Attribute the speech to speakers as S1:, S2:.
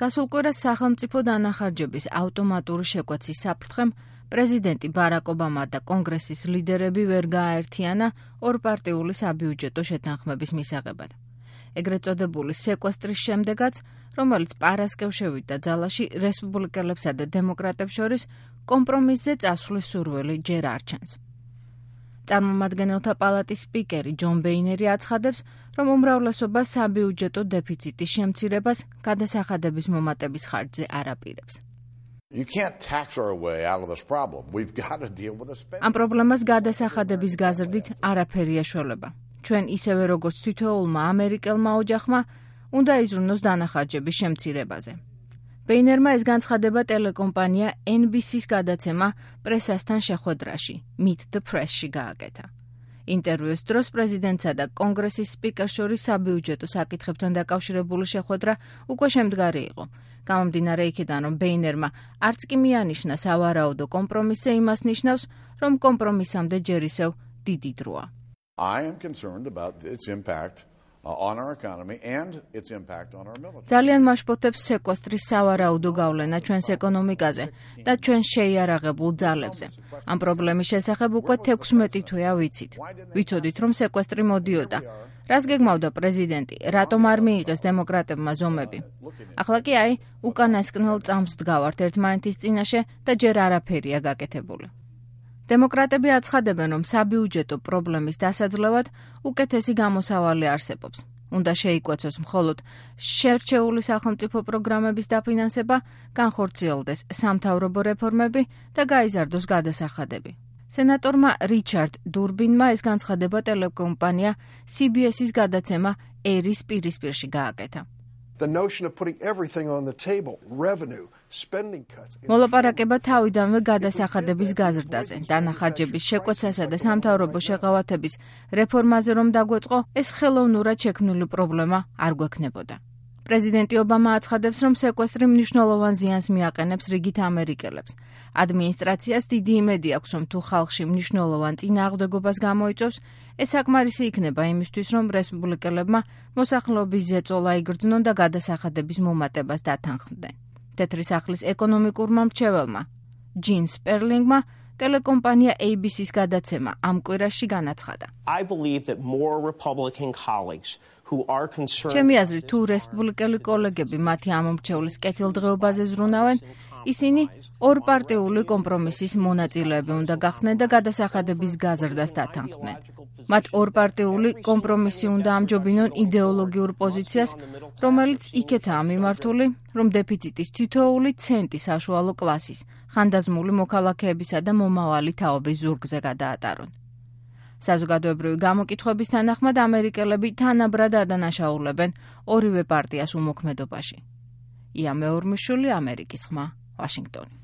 S1: გასულ კვირას სახელმწიფო დანახარჯების ავტომატური შეკვეცის საფრთხემ პრეზიდენტი ბარაკ ობამა და კონგრესის ლიდერები ვერ გააერთიანა ორპარტიული საბიუჯეტო შეთანხმების მისაღებად. ეგრეთ წოდებული სეკვესტრის შემდეგაც, რომელიც პარასკევშევით და ძალაში რესპუბლიკელებსა და დემოკრატებს შორის კომპრომისზე წასვლის სურვილი ჯერ არ ჩანს. წარმომადგენელთა პალატის სპიკერი ჯონ ბეინერი აცხადებს, რომ უმრავლესობა საბიუჯეტო დეფიციტის შემცირებას გადასახადების მომატების ხარჯზე არ აპირებს. ამ პრობლემას გადასახადების გაზრდით არაფერი ეშველება. ჩვენ ისევე როგორც თითოეულმა ამერიკელმა ოჯახმა უნდა იზრუნოს დანახარჯების შემცირებაზე. ბეინერმა ეს განცხადება ტელეკომპანია NBC-ს გადაცემა პრესასთან შეხვედრაში, Meet the Press-ში გააკეთა. ინტერვიუს დროს პრეზიდენტსა და კონგრესის სპიკერს შორის საბიუჯეტო საკითხებთან დაკავშირებული შეხვედრა უკვე შემდგარი იყო. გამომდინარე იქიდან, რომ ბეინერმა არც კი მიანიშნა სავარაუდო კომპრომისზე, იმას ნიშნავს, რომ კომპრომისამდე ჯერ ისევ დიდი დროა. ძალიან მაშფოთებს სეკვესტრის სავარაუდო გავლენა ჩვენს ეკონომიკაზე და ჩვენ შეიარაღებულ ძალებზე. ამ პრობლემის შესახებ უკვე 16 თვეა ვიცით. ვიცოდით, რომ სეკვესტრი მოდიოდა. რას გეგმავდა პრეზიდენტი, რატომ არ მიიღეს დემოკრატებმა ზომები? ახლა კი უკანასკნელ წამს ვდგავართ ერთმანეთის წინაშე და ჯერ არაფერია გაკეთებული. დემოკრატები აცხადებენ, რომ საბიუჯეტო პრობლემის დასაძლევად უკეთესი გამოსავალი არსებობს. უნდა შეიკვეცოს მხოლოდ შერჩეული სახელმწიფო პროგრამების დაფინანსება, განხორციელდეს სამთავრობო რეფორმები და გაიზარდოს გადასახადები. სენატორმა რიჩარდ დურბინმა ეს განცხადება ტელეკომპანია CBS-ის გადაცემა ერის პირისპირში გააკეთა. მოლაპარაკება თავიდანვე გადასახადების გაზრდაზე, დანახარჯების შეკვეცასა და სამთავრობო შეღავათების რეფორმაზე რომ დაგვეწყო, ეს ხელოვნურად შექმნილი პრობლემა არ გვექნებოდა. პრეზიდენტი ობამა აცხადებს, რომ სეკვესტრი მნიშვნელოვან ზიანს მიაყენებს რიგით ამერიკელებს. ადმინისტრაციას დიდი იმედი აქვს, რომ თუ ხალხში მნიშვნელოვან წინააღმდეგობას გამოიწვევს, ეს საკმარისი იქნება იმისთვის, რომ რესპუბლიკელებმა მოსახლეობის ზეწოლა იგრძნონ და გადასახადების მომატებას დათანხმდნენ. თეთრი სახლის ეკონომიკურმა მრჩეველმა ჯინ სპერლინგმა ტელეკომპანია ABC-ს გადაცემა ამ კვირაში განაცხადა. ჩემი აზრით, თუ რესპუბლიკელი კოლეგები მათი ამომრჩევლის კეთილდღეობაზე ზრუნავენ, ისინი ორპარტიული კომპრომისის მონაწილეები უნდა გახდნენ და გადასახადების გაზრდას დათანხმდნენ. მათ ორპარტიული კომპრომისი უნდა ამჯობინონ იდეოლოგიურ პოზიციას, რომელიც იქეთაა მიმართული, რომ დეფიციტის თითოეული ცენტი საშუალო კლასის, ხანდაზმული მოქალაქეებისა და მომავალი თაობის ზურგზე გადაატარონ. საზოგადოებრივი გამოკითხვების თანახმად ამერიკელები თანაბრად ადანაშაულებენ ორივე პარტიას უმოქმედობაში. ია მეორმიშვილი, ამერიკის ხმა, ვაშინგტონი.